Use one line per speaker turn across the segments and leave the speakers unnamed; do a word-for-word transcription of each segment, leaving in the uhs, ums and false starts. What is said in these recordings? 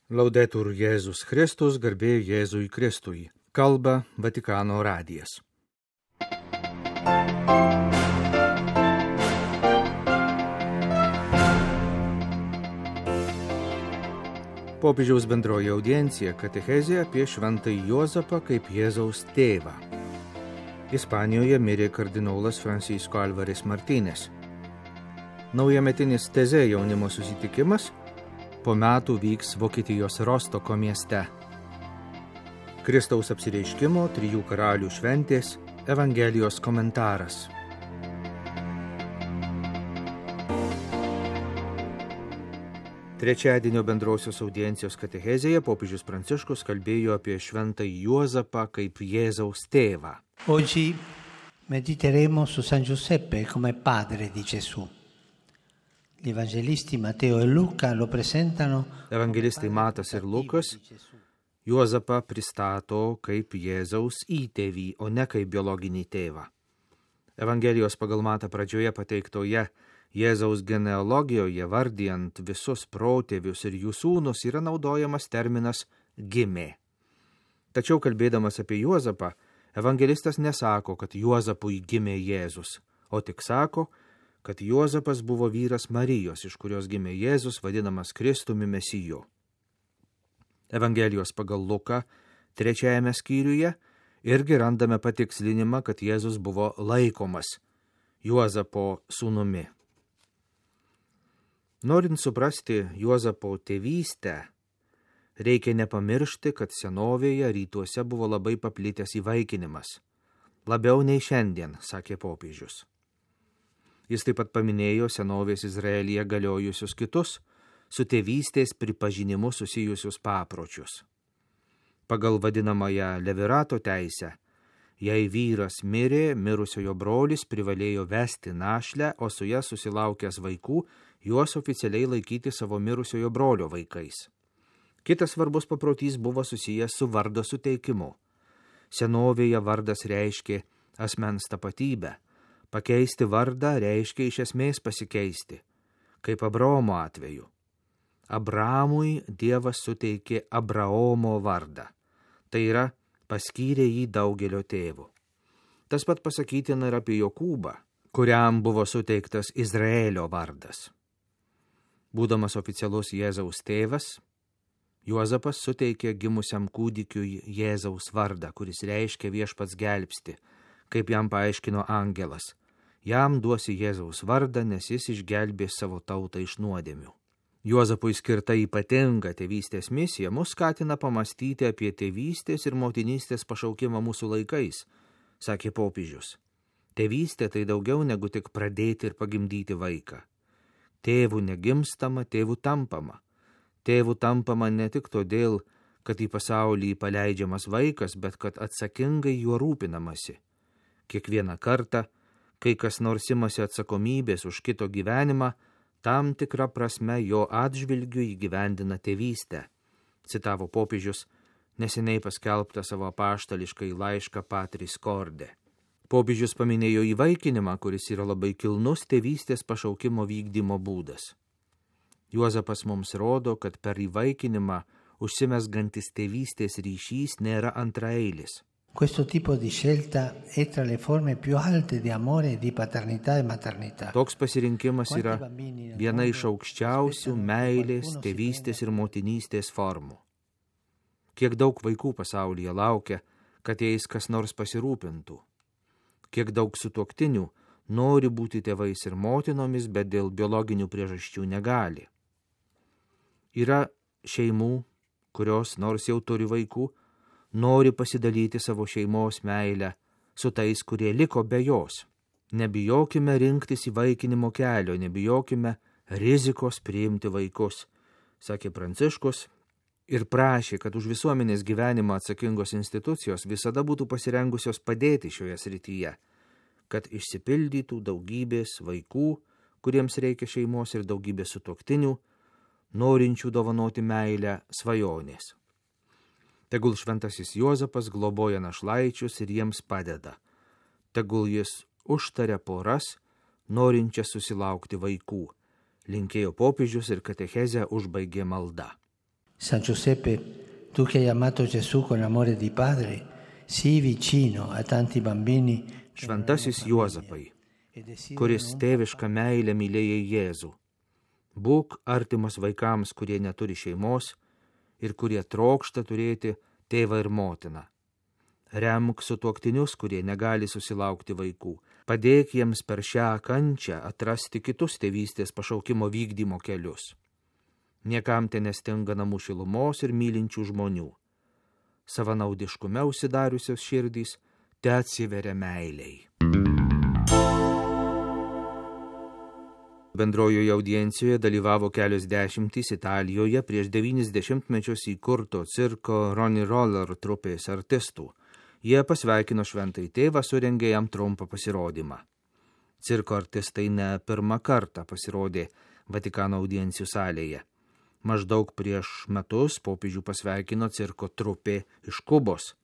Laudetur Jėzus Kristus, garbė Jėzui Kristui. Kalba Vatikano radijas. Popiežiaus bendroji audiencija katechezė apie šventąjį Juozapą kaip Jėzaus tėvą. Ispanijoje mirė kardinolas Francisco Alvarez Martínez. Naujametinis teze jaunimo susitikimas po metų vyks Vokietijos Rostoko mieste. Kristaus apsireiškimo trijų karalių šventės Evangelijos komentaras. Trečiadienio bendrosios audiencijos katechezėje popiežius Pranciškus kalbėjo apie šventąjį Juozapą kaip Jėzaus tėvą.
Oggi mediteremo su San Giuseppe come padre di Gesù. Gli evangelisti Matteo e Luca lo presentano.
Evangelistai Matas ir Lukas Juozapą pristato kaip Jėzaus įtėvį, o ne kaip biologinį tėvą. Evangelijos pagal Matą pradžioje pateiktoje Jėzaus genealogijoje vardijant visus protėvius ir jų sūnus yra naudojamas terminas gimė. Tačiau kalbėdamas apie Juozapą, evangelistas nesako, kad Juozapui gimė Jėzus, o tik sako, kad Juozapas buvo vyras Marijos, iš kurios gimė Jėzus, vadinamas Kristumi Mesiju. Evangelijos pagal Luką trečiajame skyriuje irgi randame patikslinimą, kad Jėzus buvo laikomas Juozapo sūnumi. Norint suprasti Juozapo tėvystę, reikia nepamiršti, kad senovėje rytuose buvo labai paplitęs įvaikinimas. Labiau nei šiandien, sakė popiežius. Jis taip pat paminėjo senovės Izraelyje galiojusius kitus, su tėvystės pripažinimu susijusius papročius. Pagal vadinamąją levirato teisę, jei vyras mirė, mirusiojo brolis privalėjo vesti našlę, o su ja susilaukęs vaikų, juos oficialiai laikyti savo mirusiojo brolio vaikais. Kitas svarbus paprotys buvo susijęs su vardo suteikimu. Senovėje vardas reiškė asmens tapatybę. Pakeisti vardą reiškia iš esmės pasikeisti, kaip Abraomo atveju. Abramui Dievas suteikė Abraomo vardą, tai yra paskyrė jį daugelio tėvų. Tas pat pasakytina ir apie Jokūbą, kuriam buvo suteiktas Izraelio vardas. Būdamas oficialus Jėzaus tėvas, Juozapas suteikė gimusiam kūdikiui Jėzaus vardą, kuris reiškia viešpats gelbsti, kaip jam paaiškino angelas. Jam duosi Jėzaus vardą, nes jis išgelbės savo tautą iš nuodėmių. Juozapui skirta ypatinga tėvystės misija mus skatina pamastyti apie tėvystės ir motinystės pašaukimą mūsų laikais, sakė popiežius. Tėvystė tai daugiau negu tik pradėti ir pagimdyti vaiką. Tėvų negimstama, tėvų tampama. Tėvų tampama ne tik todėl, kad į pasaulį paleidžiamas vaikas, bet kad atsakingai juo rūpinamasi. Kiekvieną kartą, kai kas nors imasi atsakomybės už kito gyvenimą, tam tikra prasme jo atžvilgiu įgyvendina tėvystę, citavo popiežius neseniai paskelbtą savo apaštališkai laišką Patris Corde. Popiežius paminėjo įvaikinimą, kuris yra labai kilnus tėvystės pašaukimo vykdymo būdas. Juozapas mums rodo, kad per įvaikinimą užsimesgantis tėvystės ryšys nėra antraeilis.
Questo tipo di scelta è tra le forme più alte di amore, di paternità e maternità.
Toks pasirinkimas yra viena iš aukščiausių meilės, tėvystės ir motinystės formų. Kiek daug vaikų pasaulyje laukia, kad jais kas nors pasirūpintų. Kiek daug sutuoktinių nori būti tėvais ir motinomis, bet dėl biologinių priežasčių negali. Yra šeimų, kurios nors jau turi vaikų, nori pasidalyti savo šeimos meilę su tais, kurie liko be jos. Nebijokime rinktis įvaikinimo kelio, nebijokime rizikos priimti vaikus, sakė Pranciškus ir prašė, kad už visuomenės gyvenimą atsakingos institucijos visada būtų pasirengusios padėti šioje srityje, kad išsipildytų daugybės vaikų, kuriems reikia šeimos ir daugybės sutuoktinių, norinčių dovanoti meilę svajonės. Tegul šventasis Juozapas globoja našlaičius ir jiems padeda. Tegul jis užtaria poras, norinčias susilaukti vaikų, linkėjo popiežius ir katechezę užbaigė malda.
San Giuseppe, tu che hai amato Gesù con amore di padre, sii vicino a tanti bambini.
Šventasis Juozapai, kuris tėvišką meilę mylėjai Jėzų. Būk artimas vaikams, kurie neturi šeimos ir kurie trokšta turėti tėvą ir motiną. Remk sutuoktinius, kurie negali susilaukti vaikų. Padėk jiems per šią kančią atrasti kitus tėvystės pašaukimo vykdymo kelius. Niekam te nestinga namų šilumos ir mylinčių žmonių. Savanaudiškume užsidariusios širdys te atsiveria meiliai. Bendrojoje audiencijoje dalyvavo kelios dešimtys Italijoje prieš devynis dešimtmečius įkurto cirko Ronnie Roller trupės artistų. Jie pasveikino šventąjį tėvą, surengė jam trumpą pasirodymą. Cirko artistai ne pirmą kartą pasirodė Vatikano audiencijų salėje. Maždaug prieš metus popiežių pasveikino cirko trupė iš Kubos.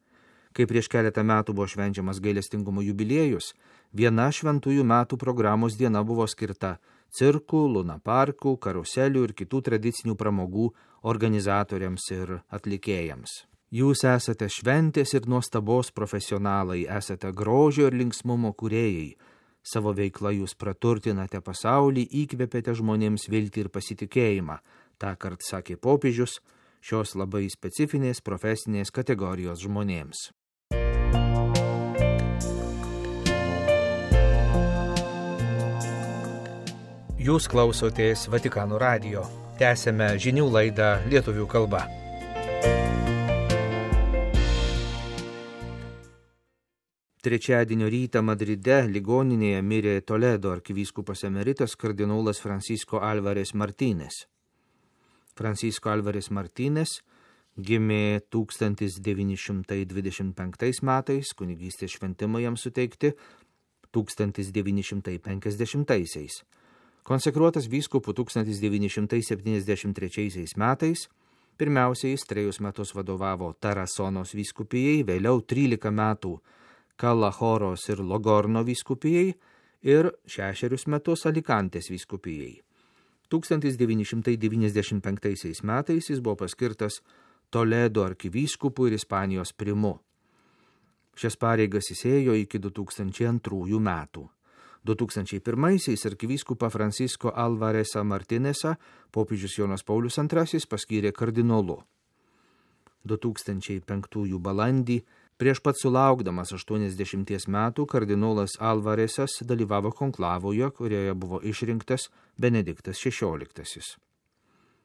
Kai prieš keletą metų buvo švenčiamas gailestingumo jubiliejus, viena šventųjų metų programos diena buvo skirta cirkų, lunaparkų, karuselių ir kitų tradicinių pramogų organizatoriams ir atlikėjams. Jūs esate šventės ir nuostabos profesionalai, esate grožio ir linksmumo kūrėjai. Savo veiklą jūs praturtinate pasaulį, įkvėpėte žmonėms viltį ir pasitikėjimą. Ta kart sakė popiežius šios labai specifinės profesinės kategorijos žmonėms. Jūs klausotės Vatikano radijo. Tęsėme žinių laidą lietuvių kalba. Trečiadienio rytą Madride ligoninėje mirė Toledo arkivyskupas emeritas kardinolas Francisco Álvarez Martínez. Francisco Álvarez Martínez gimė tūkstantis devyni šimtai dvidešimt penktais metais, kunigystės šventimai jam suteikti tūkstantis devyni šimtai penkiasdešimtaisiais. Konsekruotas vyskupu tūkstantis devyni šimtai septyniasdešimt trečiaisiais metais, pirmiausiai jis trejus metus vadovavo Tarasonos vyskupijai, vėliau trylika metų Kalahoros ir Logorno vyskupijai ir šešerius metus Alikantės vyskupijai. tūkstantis devyni šimtai devyniasdešimt penktaisiais metais jis buvo paskirtas Toledo arkivyskupu ir Ispanijos primu. Šias pareigas jis ėjo iki du tūkstančiai antrųjų metų. du tūkstančiai pirmaisiais arkivyskupą Francisco Álvarezą Martínezą popiežius Jonas Paulius antrasis paskyrė kardinolu. du tūkstančiai penktųjų balandį, prieš pat sulaukdamas aštuoniasdešimties metų, kardinolas Álvarezas dalyvavo konklavoje, kurioje buvo išrinktas Benediktas šešioliktasis.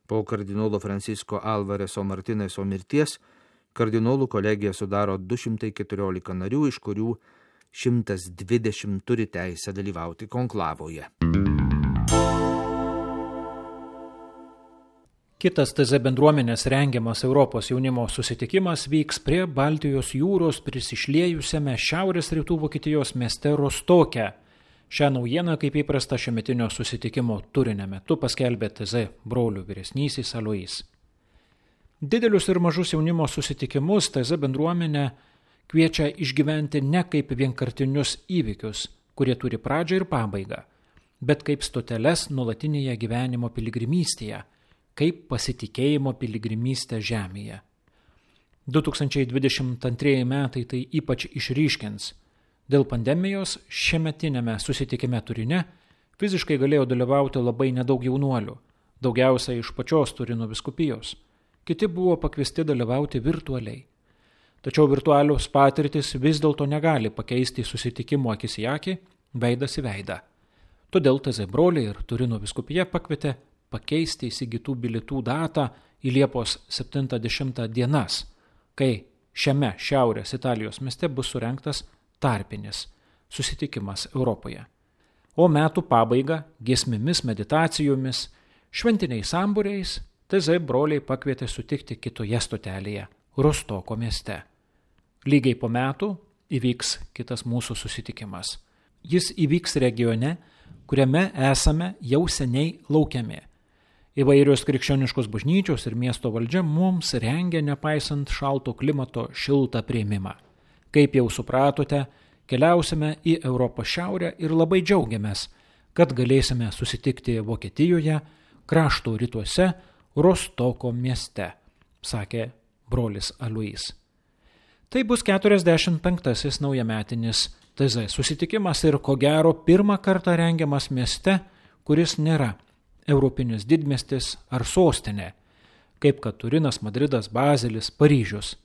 Po kardinolo Francisco Álvarezo Martínezo mirties, kardinolų kolegija sudaro du šimtai keturiolika narių, iš kurių šimtas dvidešimt turi teisę dalyvauti konklavoje.
Kitas T Z bendruomenės rengiamas Europos jaunimo susitikimas vyks prie Baltijos jūros prisišliejusiame šiaurės rytų Vokietijos mieste Rostoke. Šią naujieną, kaip įprasta šiemetinio susitikimo turinio metu, paskelbė T Z brolių vyresnysis Alois. Didelius ir mažus jaunimo susitikimus T Z bendruomenė kviečia išgyventi ne kaip vienkartinius įvykius, kurie turi pradžią ir pabaigą, bet kaip stoteles nuolatinėje gyvenimo piligrimystėje, kaip pasitikėjimo piligrimystė žemėje. du tūkstančiai dvidešimt antrieji metai tai ypač išryškins. Dėl pandemijos šiemetinėme susitikime Turine fiziškai galėjo dalyvauti labai nedaug jaunuolių, daugiausia iš pačios Turino vyskupijos. Kiti buvo pakviesti dalyvauti virtualiai. Tačiau virtualios patirtis vis dėlto negali pakeisti susitikimo akis į akį, veidas į veidą. Todėl T Z broliai ir Turino vyskupija pakvietė pakeisti įsigytų bilietų datą į Liepos septintą dešimtą dienas, kai šiame šiaurės Italijos mieste bus surengtas tarpinis susitikimas Europoje. O metų pabaiga giesmėmis, meditacijomis, šventiniais sambūriais T Z broliai pakvietė sutikti kitoje stotelėje, Rostoko mieste. Lygiai po metų įvyks kitas mūsų susitikimas. Jis įvyks regione, kuriame esame jau seniai laukiami. Įvairios krikščioniškos bažnyčios ir miesto valdžia mums rengia, nepaisant šalto klimato, šiltą priėmimą. Kaip jau supratote, keliausime į Europos šiaurę ir labai džiaugiamės, kad galėsime susitikti Vokietijoje, krašto rytuose, Rostoko mieste. sakė brolis Alois. Tai bus keturiasdešimt penktasis naujametinis T Z susitikimas ir ko gero pirmą kartą rengiamas mieste, kuris nėra europinis didmiestis ar sostinė, kaip kad Turinas, Madridas, Bazelis, Paryžius.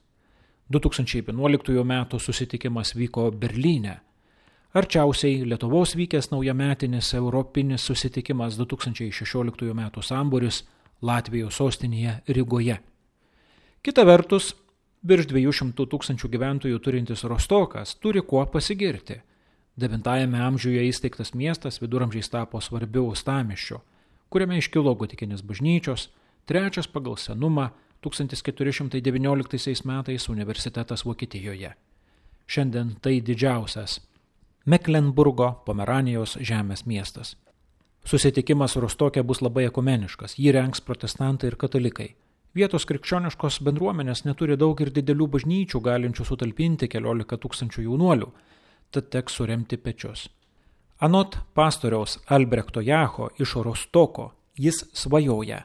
du tūkstančiai vienuoliktųjų metų susitikimas vyko Berlyne. Arčiausiai Lietuvos vykęs naujametinis europinis susitikimas du tūkstančiai šešioliktųjų metų sambūris Latvijos sostinėje Rygoje. Kita vertus, virš dviejų šimtų tūkstančių gyventojų turintis Rostokas turi kuo pasigirti. Devintajame amžiuje įsteigtas miestas viduramžiais tapo svarbiu uostamiesčiu, kuriame iškilo gotikinės bažnyčios, trečias pagal senumą tūkstantis keturi šimtai devynioliktaisiais metais universitetas Vokietijoje. Šiandien tai didžiausias Meklenburgo Pomeranijos žemės miestas. Susitikimas Rostoke bus labai ekumeniškas, jį rengs protestantai ir katalikai. Vietos krikščioniškos bendruomenės neturi daug ir didelių bažnyčių, galinčių sutalpinti keliolika tūkstančių jaunuolių, tad teks suremti pečius. Anot pastoriaus Albrechto Jacho iš Rostoko, jis svajoja,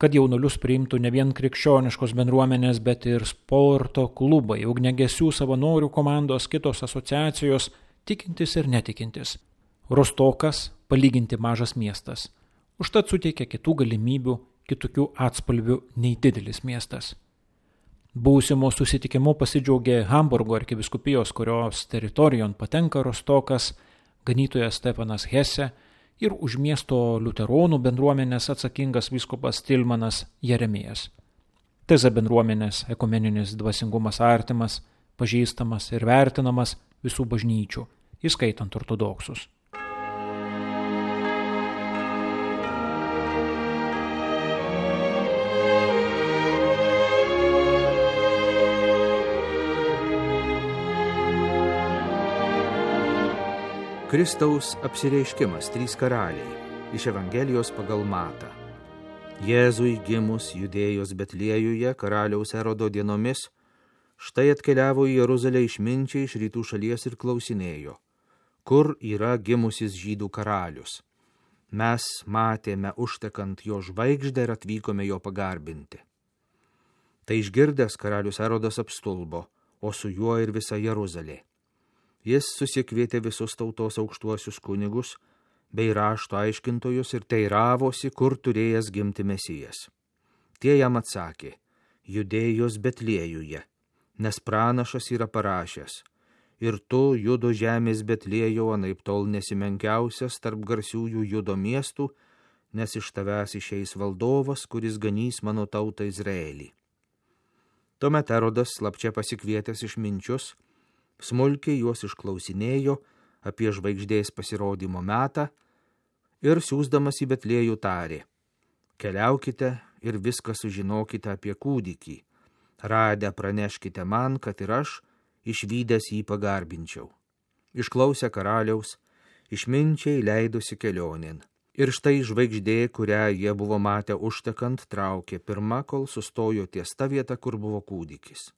kad jaunuolius priimtų ne vien krikščioniškos bendruomenės, bet ir sporto klubai, ugniagesių savanorių komandos, kitos asociacijos, tikintis ir netikintis. Rostokas palyginti mažas miestas, užtat suteikia kitų galimybių, kitokių atspalvių nei didelis miestas. Būsimo susitikimu pasidžiaugė Hamburgo arkivyskupijos, kurios teritorijon patenka Rostokas, ganytojas Stefanas Hesse ir už miesto liuteronų bendruomenės atsakingas vyskupas Tilmanas Jeremijas. T Z bendruomenės ekumeninis dvasingumas artimas, pažįstamas ir vertinamas visų bažnyčių, įskaitant ortodoksus.
Kristaus apsireiškimas trys karaliai iš Evangelijos pagal Matą. Jėzui gimus Judėjos Betliejuje karaliaus Erodo dienomis, štai atkeliavo į Jeruzalę išminčiai iš rytų šalies ir klausinėjo, kur yra gimusis žydų karalius. Mes matėme užtekant jo žvaigždę ir atvykome jo pagarbinti. Tai išgirdęs karalius Erodas apstulbo, o su juo ir visa Jeruzalė. Jis susikvietė visus tautos aukštuosius kunigus bei rašto aiškintojus ir teiravosi, kur turėjęs gimti Mesijas. Tie jam atsakė, Judėjos Betliejuje, nes pranašas yra parašęs, ir tu, Judo žemės Betliejau, anaiptol nesimenkiausias tarp garsiųjų Judo miestų, nes iš tavęs išeis valdovas, kuris ganys mano tautą Izraelį. Tuomet Erodas slapčia pasikvietęs išminčius, smulkiai juos išklausinėjo apie žvaigždės pasirodymo metą ir siųsdamas į Betliejų tarė, keliaukite ir viską sužinokite apie kūdikį, radę praneškite man, kad ir aš išvydęs jį pagarbinčiau. Išklausę karaliaus, išminčiai leidosi kelionėn. Ir štai žvaigždė, kurią jie buvo matę užtekant, traukė pirma, kol sustojo ties ta vieta, kur buvo kūdikis.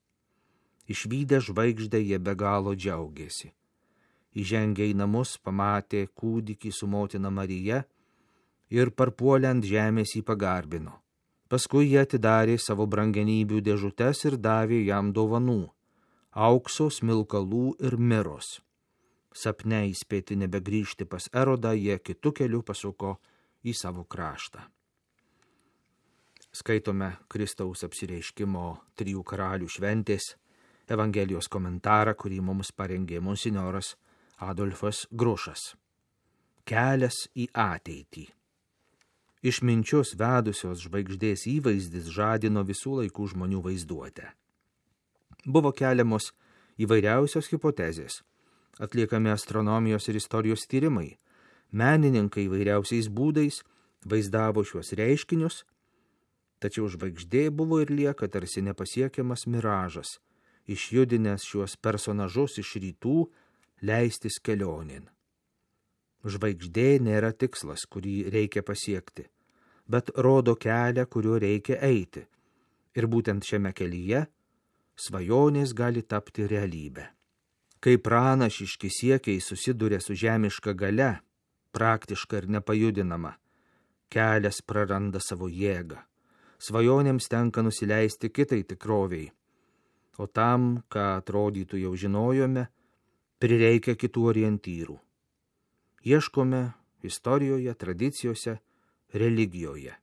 Išvydę žvaigždę jie be galo džiaugėsi. Įžengę į namus, pamatė kūdikį su motina Marija ir parpuolę ant žemės jį pagarbino. Paskui jie atidarė savo brangenybių dėžutes ir davė jam dovanų – aukso, smilkalų ir miros. Sapne įspėti nebegrįžti pas Erodą, jie kitu keliu pasuko į savo kraštą. Skaitome Kristaus apsireiškimo trijų karalių šventės Evangelijos komentarą, kurį mums parengė monsinjoras Adolfas Grušas. Kelias į ateitį. Išminčius vedusios žvaigždės įvaizdis žadino visų laikų žmonių vaizduotę. Buvo keliamos įvairiausios hipotezės, atliekami astronomijos ir istorijos tyrimai, menininkai įvairiausiais būdais vaizdavo šiuos reiškinius, tačiau žvaigždė buvo ir lieka tarsi nepasiekiamas miražas, išjudinęs šiuos personažus iš rytų leistis kelionėn. Žvaigždė nėra tikslas, kurį reikia pasiekti, bet rodo kelią, kuriuo reikia eiti. Ir būtent šiame kelyje svajonės gali tapti realybę. Kai pranašiški siekiai susiduria su žemiška galia, praktiška ir nepajudinama, kelias praranda savo jėgą. svajonėms tenka nusileisti kitai tikroviai, o tam, ką atrodytų jau žinojome, prireikia kitų orientyrų. Ieškome istorijoje, tradicijose, religijoje.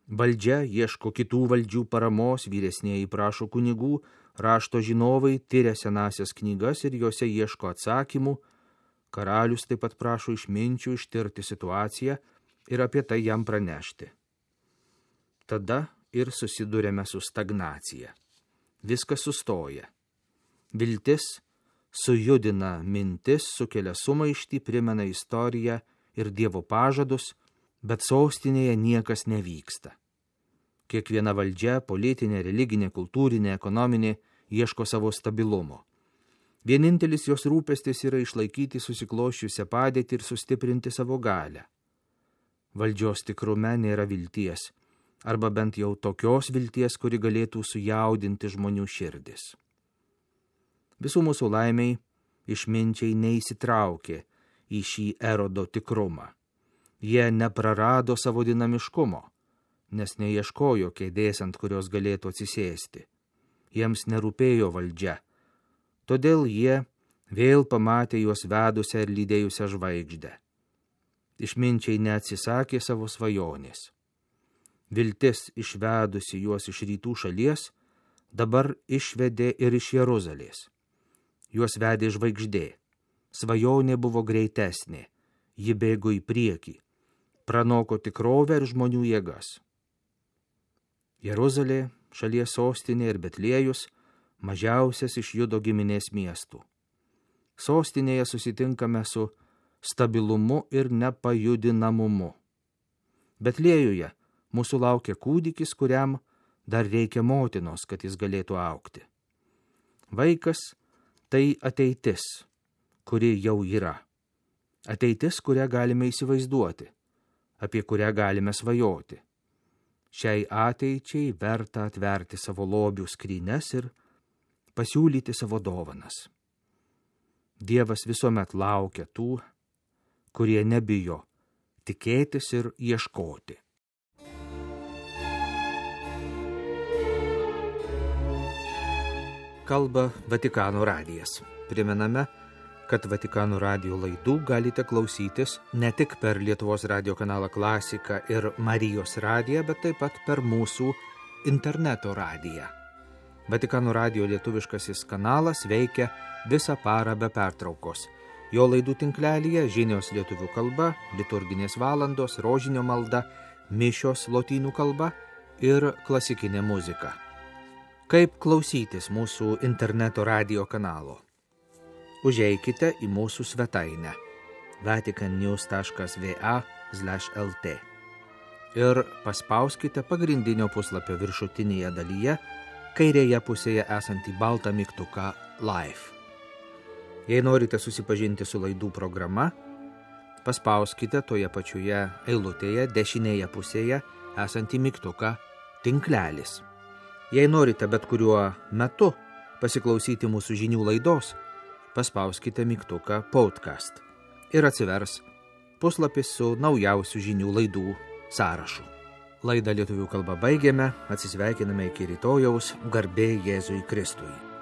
Valdžia ieško kitų valdžių paramos, vyresnieji prašo kunigų, rašto žinovai tyria senasias knygas ir juose ieško atsakymų, karalius taip pat prašo išminčių ištirti situaciją ir apie tai jam pranešti. Tada ir susidurėme su stagnacija. Viskas sustoja. Viltis sujudina mintis, sukelia sumaištį, primena istoriją ir Dievo pažadus, bet sostinėje niekas nevyksta. Kiekviena valdžia, politinė, religinė, kultūrinė, ekonominė, ieško savo stabilumo. Vienintelis jos rūpestis yra išlaikyti susikloščiusią padėtį ir sustiprinti savo galią. Valdžios tikrume nėra vilties, arba bent jau tokios vilties, kuri galėtų sujaudinti žmonių širdis. Visų mūsų laimiai išminčiai neįsitraukė į šį erodo tikrumą. Jie neprarado savo dinamiškumo, nes neieškojo kėdės, ant kurios galėtų atsisėsti. Jiems nerūpėjo valdžia, todėl jie vėl pamatė juos vedusią ir lydėjusią žvaigždę. Išminčiai neatsisakė savo svajonės. Viltis išvedusi juos iš rytų šalies, dabar išvedė ir iš Jeruzalės. Juos vedė žvaigždė. Svajonė buvo greitesnė, ji bėgo į priekį, pranoko tikrovę ir žmonių jėgas. Jeruzalė, šalies sostinė ir Betliejus, mažiausias iš Judo giminės miestų. Sostinėje susitinkame su stabilumu ir nepajudinamumu. Betliejuje mūsų laukia kūdikis, kuriam dar reikia motinos, kad jis galėtų augti. Vaikas tai ateitis, kuri jau yra. Ateitis, kurią galime įsivaizduoti, apie kurią galime svajoti. Šiai ateičiai verta atverti savo lobių skrynes ir pasiūlyti savo dovanas. Dievas visuomet laukia tų, kurie nebijo tikėtis ir ieškoti. Kalba Vatikano radijas. Primename, kad Vatikano radijo laidų galite klausytis ne tik per Lietuvos radijo kanalą Klasika ir Marijos radiją, bet taip pat per mūsų interneto radiją. Vatikano radijo lietuviškasis kanalas veikia visą parą be pertraukos. Jo laidų tinklelyje žinios lietuvių kalba, liturginės valandos, rožinio malda, mišios lotynų kalba ir klasikinė muzika. Kaip klausytis mūsų interneto radijo kanalo? Užeikite į mūsų svetainę vaticannews taškas va slash lt ir paspauskite pagrindinio puslapio viršutinėje dalyje, kairėje pusėje esantį baltą mygtuką Live. Jei norite susipažinti su laidų programa, paspauskite toje pačioje eilutėje dešinėje pusėje esantį mygtuką Tinklelis. Jei norite bet kuriuo metu pasiklausyti mūsų žinių laidos, paspauskite mygtuką Podcast ir atsivers puslapis su naujausių žinių laidų sąrašu. Laidą lietuvių kalba baigėme, atsisveikiname iki rytojaus, garbė Jėzui Kristui.